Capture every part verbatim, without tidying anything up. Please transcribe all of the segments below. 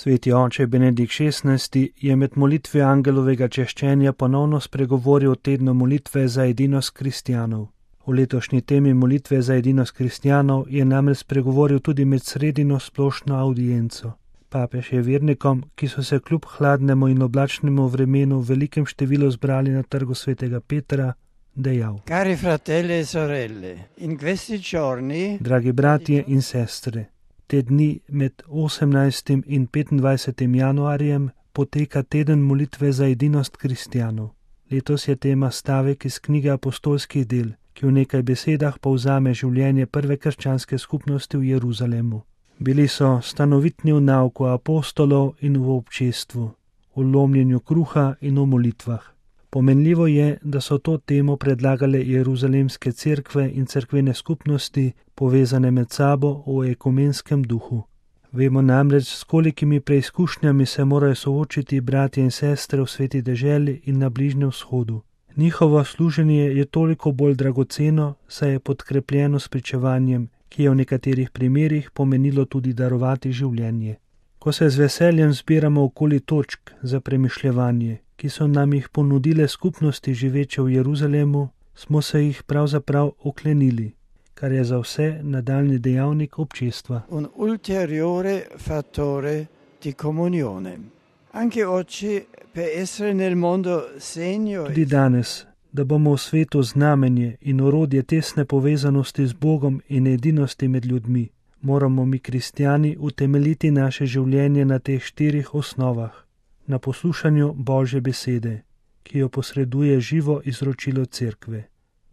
Sveti oče Benedikt šestnajsti je med molitvijo angelovega češčenja ponovno spregovoril o tednu molitve za edinost kristjanov. V letošnji temi molitve za edinost kristjanov je namreč spregovoril tudi med sredino splošno audienco. Papež je vernikom, ki so se kljub hladnemu in oblačnemu vremenu v velikem številu zbrali na trgu svetega Petra, dejal: Cari fratelli e sorelle, in questi giorni, dragi bratje in sestre, te dni med osemnajstim in petindvajsetim januarjem poteka teden molitve za edinost kristjanov. Letos je tema stavek iz knjige apostolskih del, ki v nekaj besedah povzame življenje prve krščanske skupnosti v Jeruzalemu. Bili so stanovitni v nauku apostolov in v občestvu, v lomljenju kruha in v molitvah. Pomenljivo je, da so to temo predlagale jeruzalemske cerkve in cerkvene skupnosti, povezane med sabo v ekumenskem duhu. Vemo namreč, s kolikimi preizkušnjami se morajo soočiti bratje in sestre v sveti deželi in na Bližnjem vzhodu. Njihovo služenje je toliko bolj dragoceno, saj je podkrepljeno s pričevanjem, ki je v nekaterih primerih pomenilo tudi darovati življenje. Ko se z veseljem zbiramo okoli točk za premišljevanje, ki so nam jih ponudile skupnosti živeče v Jeruzalemu, smo se jih pravzaprav oklenili, kar je za vse nadaljni dejavnik občestva. Un ulteriore fattore di comunione. Anche oggi, per essere nel mondo segno... Tudi danes, da bomo v svetu znamenje in orodje tesne povezanosti z Bogom in edinosti med ljudmi, moramo mi kristjani utemeljiti naše življenje na teh štirih osnovah. Na poslušanju Božje besede, ki jo posreduje živo izročilo cerkve,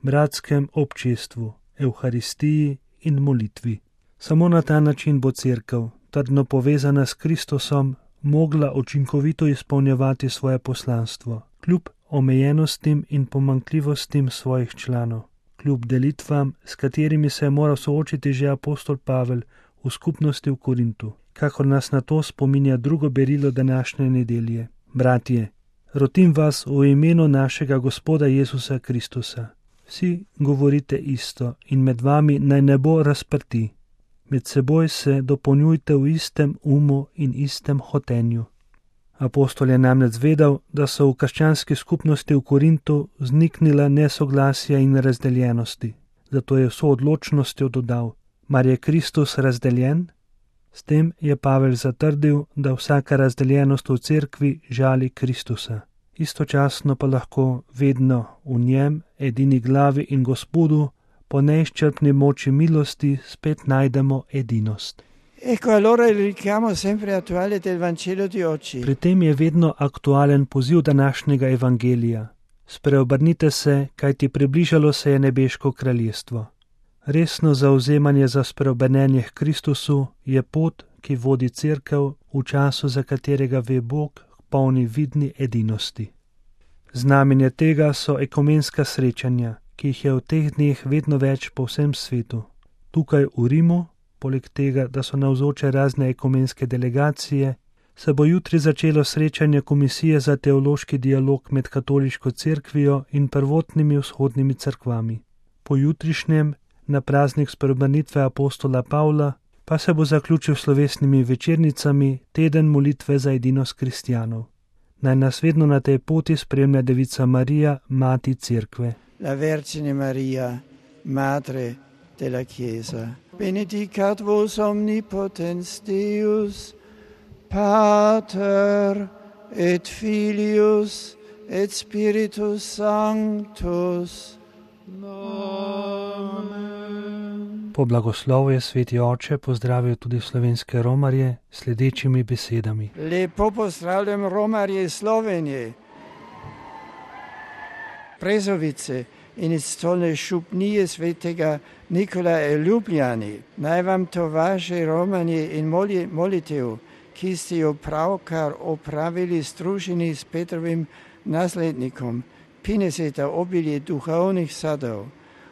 bratskem občestvu, evharistiji in molitvi. Samo na ta način bo cerkev, trdno povezana s Kristusom, mogla učinkovito izpolnjevati svoje poslanstvo, kljub omejenostim in pomanjkljivostim svojih članov, kljub delitvam, s katerimi se je moral soočiti že apostol Pavel v skupnosti v Korintu, kakor nas na to spominja drugo berilo današnje nedelje. Bratje, rotim vas v imenu našega Gospoda Jezusa Kristusa. Vsi govorite isto in med vami naj ne bo razprti. Med seboj se dopolnjujte v istem umu in istem hotenju. Apostol je namreč vedel, da so v krščanski skupnosti v Korintu vzniknila nesoglasja in razdeljenosti. Zato je vso odločnostjo dodal: mar je Kristus razdeljen? S tem je Pavel zatrdil, da vsaka razdeljenost v cerkvi žali Kristusa. Istočasno pa lahko vedno v njem, edini glavi in Gospodu, po neizčrpni moči milosti spet najdemo edinost. Ecco allora il richiamo sempre attuale del Vangelo di oggi. Pri tem je vedno aktualen poziv današnjega evangelija. Spreobrnite se, kajti približalo se je nebeško kraljestvo. Resno zauzemanje za spreobrnenje k Kristusu je pot, ki vodi cerkev v času, za katerega ve Bog, k polni vidni edinosti. Znamenje tega so ekumenska srečanja, ki jih je v teh dneh vedno več po vsem svetu. Tukaj v Rimu, poleg tega, da so navzoče razne ekumenske delegacije, se bo jutri začelo srečanje Komisije za teološki dialog med katoliško cerkvijo in prvotnimi vzhodnimi cerkvami. Po jutrišnjem, na praznik spreobrnitve apostola Pavla, pa se bo zaključil s slovesnimi večernicami teden molitve za edinost kristjanov. Naj nas vedno na tej poti spremlja Devica Marija, mati cerkve. La Vergine Maria, Madre della Chiesa. Benedicat vos omnipotens Deus, Pater et Filius et Spiritus Sanctus. Amen. Po blagoslovu je sveti oče pozdravil tudi slovenske romarje s sledečimi besedami. Lepo pozdravljam romarje iz Slovenije, Brezovice in iz stolne župnije svetega Nikolaja v Ljubljani. Naj vam to vaše romanje in molitev, ki ste jo pravkar opravili združeni s Petrovim naslednikom, prineseta obilje duhovnih sadov.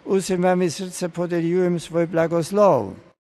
Vsem vam iz srca podeljujem svoj blagoslov.